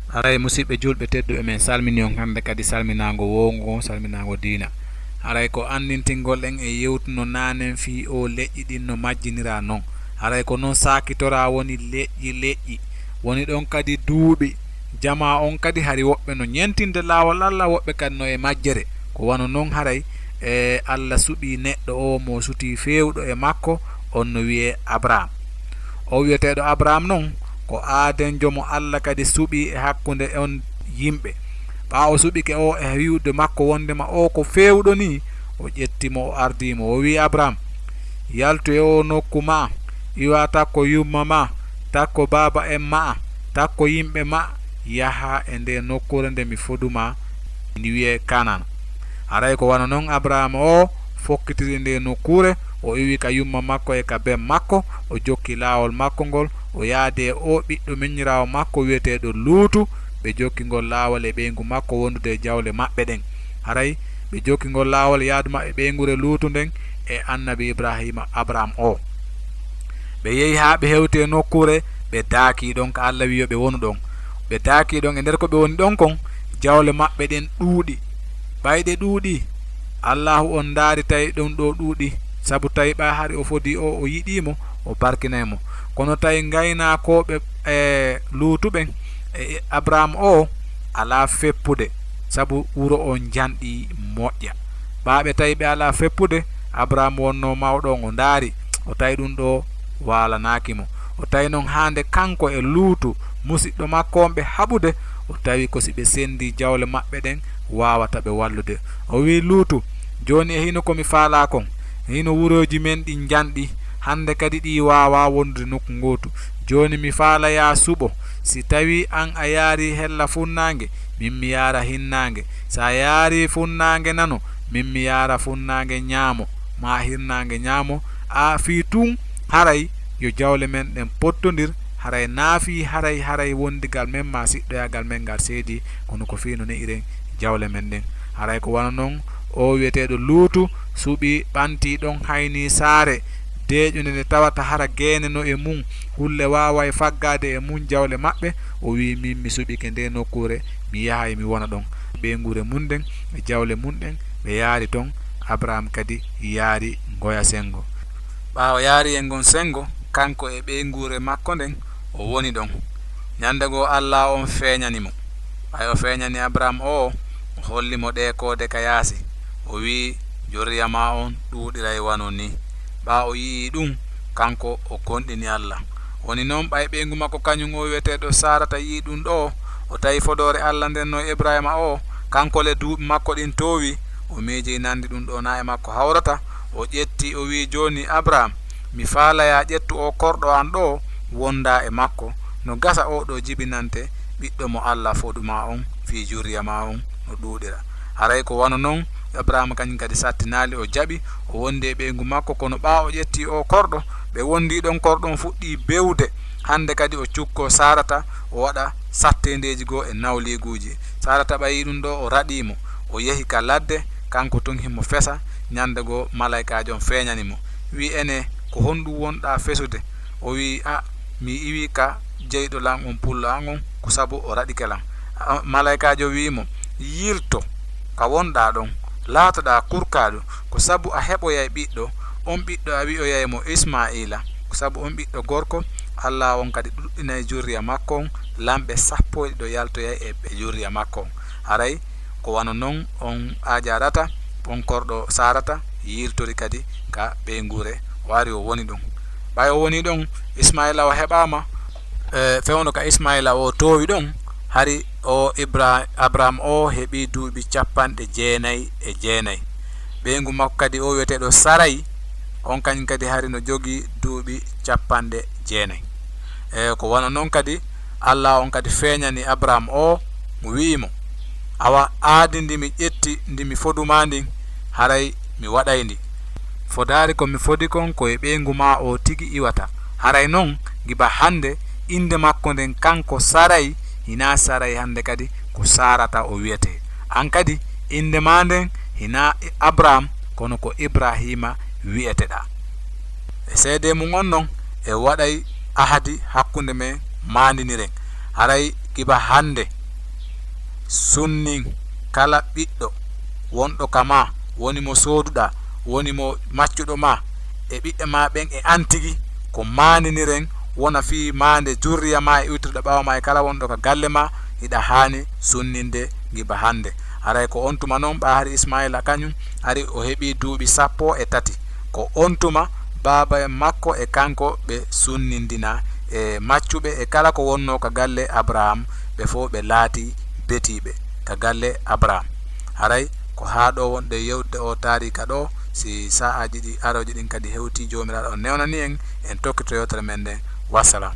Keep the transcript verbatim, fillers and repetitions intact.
Haray, musiɓɓe julɓe tedduɓe, men salmini on hannde kadi salminaango wowngo, salminaango diina. Haray ko anndintingol en e yewtuno naanen fii o leƴƴi ɗin no majjiniraa non. Haray ko non saakitoraa woni leƴƴi leƴƴi. Woni ɗon kadi duuɓi. Jamaa on kadi hari woɓɓe no ñentinde laawol Alla, woɓɓe kadi no e majjere. Ko wano non haray, e, Alla suɓii neɗɗo o mo sutii feewɗo e makko, on no wi'ee Abraam. O wi'eteeɗo Abraam non, ko aadenjo mo Alla kadi suɓii e hakkunde on yimɓe. Ɓaa o suɓike o e wi'ude makko wondema o ko feewɗo nii, o ƴetti mo, o ardii mo, o wi'i, "Abraam, yaltu e o nokku maa, iwa takko yumma maa, takko baaba en maa, takko yimɓe maa, yaha e nde nokkuure nde mi fodu maa, ndi wi'ee Kanaan." Haray ko wano non Abraam o fokkitiri nde nokkuure, o iwi ka yumma makko e ka ben makko, o jokki laawol makko ngol, o yaadi e o ɓiɗɗo miñiraawo makko wi'eteeɗo Luutu, ɓe jokki ngol laawol e ɓeyngu makko wondude e jawle maɓɓe ɗen. Haray ɓe jokki ngol laawol e yaadu maɓɓe ɓeynguure Luutu nden e annabi Ibraahiima Abraam o. Ɓe yehi haa ɓe hewti e nokkuure, ɓe daakii ɗon ka Alla wi'i yo ɓe wonu ɗon. Ɓe daakii ɗon, e nder ko ɓe woni ɗon kon, jawle maɓɓe ɗen ɗuuɗi. Ɓay ɗe ɗuuɗi, Allaahu on ndaari tawi ɗum ɗo ɗuuɗi, sabu tawi ɓay hari o fodii o, o yiɗii mo, o barkinay mo. Kono tawi ngaynaakooɓe, e, Luutu ɓen, e, e, Abraam o alaa feppude, sabu wuro on njanɗi moƴƴa. Ɓaa ɓe tawi ɓe alaa feppude, Abraam wonnoo mawɗo on, o ndaari, o tawi ɗum ɗo waalanaaki mo. O tawi non haa nde kanko e Luutu, musiɗɗo makko on ɓe haɓude, o tawi ko si ɓe senndii jawle maɓɓe ɗen, waawata ɓe wallude. O wi'i Luutu, "Jooni e hino ko mi faalaa kon, hino wurooji men ɗin njanɗi, hannde kadi ɗi waawaa wondude nokku ngootu. Jooni mi faala yaa suɓo, si tawii an a yaarii hella funnaange, min mi yaara hinnaange. Si a yaarii funnaange nano, min mi yaara funnaange ñaamo, maa hirnaange ñaamo, a fii tun haray yo jawle men ɗen pottondir, haray naafii haray, haray wondigal men maa siɗɗoyaagal men ngal seedii, kono ko fii no ne'iren jawle men ɗen." Haray ko wano non o wi'eteeɗo Luutu suɓi, ɓantii ɗon, haynii saare deeƴunde nde tawata hara geene no e mun, hulle waaway faggaade e mun jawle maɓɓe. O wi'i, "Min mi suɓike nde nokkuure, mi yahay mi wona ɗon." Ɓeynguure mun ɗen e jawle mun ɗen, ɓe yaari ton. Abraam kadi yaari ngoya senngo. Ɓaawo yaari e ngon senngo, kanko e ɓeynguure makko nden, o woni ɗon. Ñande goo Alla on feeñani mo. Ɓay o feeñani Abraam o, o holli mo ɗee koode ka yaasi. O wi'i, "Jurriya maa on ɗuuɗiray wano nii." Ɓaa o yi'ii ɗum, kanko o gomɗini Alla. Woni non, ɓay ɓeyngu makko kañum o wi'eteeɗo Saarata yi'ii ɗum ɗoo, o tawi fodoore Alla nden no e Ibrahiima o, kanko le duuɓi makko ɗin toowii, o miijii nandi ɗum ɗoo na e makko hawrata, o ƴetti, o wi'i, "Jooni, Abraam, mi faalayaa ƴettu oo korɗo an ɗoo, wondaa e makko, no gasa oo ɗoo jibinante ɓiɗɗo mo Alla fodu maa on fii jurriya maa on no ɗuuɗira." Haray ko wano non, Abraama kañum kadi sattinaali, o jaɓi, o wondi e ɓeyngu makko, kono ɓaa o ƴetti oo korɗo, ɓe wondi ɗon, korɗo on fuɗɗii bewde. Hande kadi o cukkoo Saarata, o waɗa satteendeeji goo e nawliiguuji. Saarata ɓayi ɗum ɗoo, o raɗii mo, o yehi ka ladde, kanko tun himo fesa. Ñande goo malaykaajo on feeñani mo, wi'i, "Ene, ko honɗum wonɗaa fesude?" O wi'i, "A, mi iwii ka jeyɗo lan on, pullo an on, ko sabu o raɗike lan." A, malaykaajo wi'i mo, "Yilto ka wonɗaa ɗon, laatoɗaa kurkaaɗo, ko sabu a heɓoyay ɓiɗɗo, on ɓiɗɗo a wi'oyay mo Ismaa'iila, ko sabu on ɓiɗɗo gorko, Alla on kadi ɗuɗɗinay jurriya makko on, lamɓe sappo e ɗiɗo yaltoyay e ɓe jurriya makko on." Haray ko wano non on Ajarata, on korɗo Saarata, yiltori kadi ka ɓeynguure, o ari o woni ɗon. Ɓay o woni ɗon, Ismaa'iila o heɓaama, e, fewndo ka Ismaa'iila o toowi ɗon, hari o Ibra-, Abraam o heɓii duuɓi capanɗe jeenay e jeenay. Ɓeyngu makko kadi o wi'eteeɗo Saray, on kañum kadi hari no jogii duuɓi capanɗe jeenay. E, ko wano non kadi, Alla on kadi feeñani Abraam o, wi'i mo, "Awa, aadi ndi mi ƴetti, ndi mi fodu maa ndin, haray mi waɗay ndi. Fodaari ko mi fodi kon, ko e ɓeyngu maa o tigi iwata. Haray non, giba hande, innde makko nden kanko Saray, hinaa Saray hande kadi, ko Saarata o wi'etee. An kadi, innde maa nden hinaa Abraam, kono ko Ibrahiima wi'eteɗaa." E seedee mum on non, e waɗay ahadi hakkunde men, maandiniren. Haray Giba hannde, sunnin kala ɓiɗɗo wonɗo ka ma, woni mo sooduɗaa, woni mo maccuɗo ma, e ɓiɓɓe ma ɓen e an tigi, ko maandiniren wona fii maande jurriya ma e iwtirɗo ɓaawo ma e kala wonɗo ka galle ma, hiɗa haani sunninde giba hannde. Haray ko on tuma non, ɓaa hari Ismaayila kañun ari o heɓii duuɓi sappo e tati. Ko on tuma baaba makko e kanko ɓe sunnindina e maccuɓe e kala ko wonnoo ka galle Abraham, ɓe fow ɓe laatii betiiɓe ka galle Abraham. Haray ko haa ɗoo wonɗen yewtude oo taariika ɗoo, si sa'aaji ɗi arooji ɗin kadi hewtii, Joomiraaɗo on newnanii en, en tokkito yewtere men nden. Wassalam.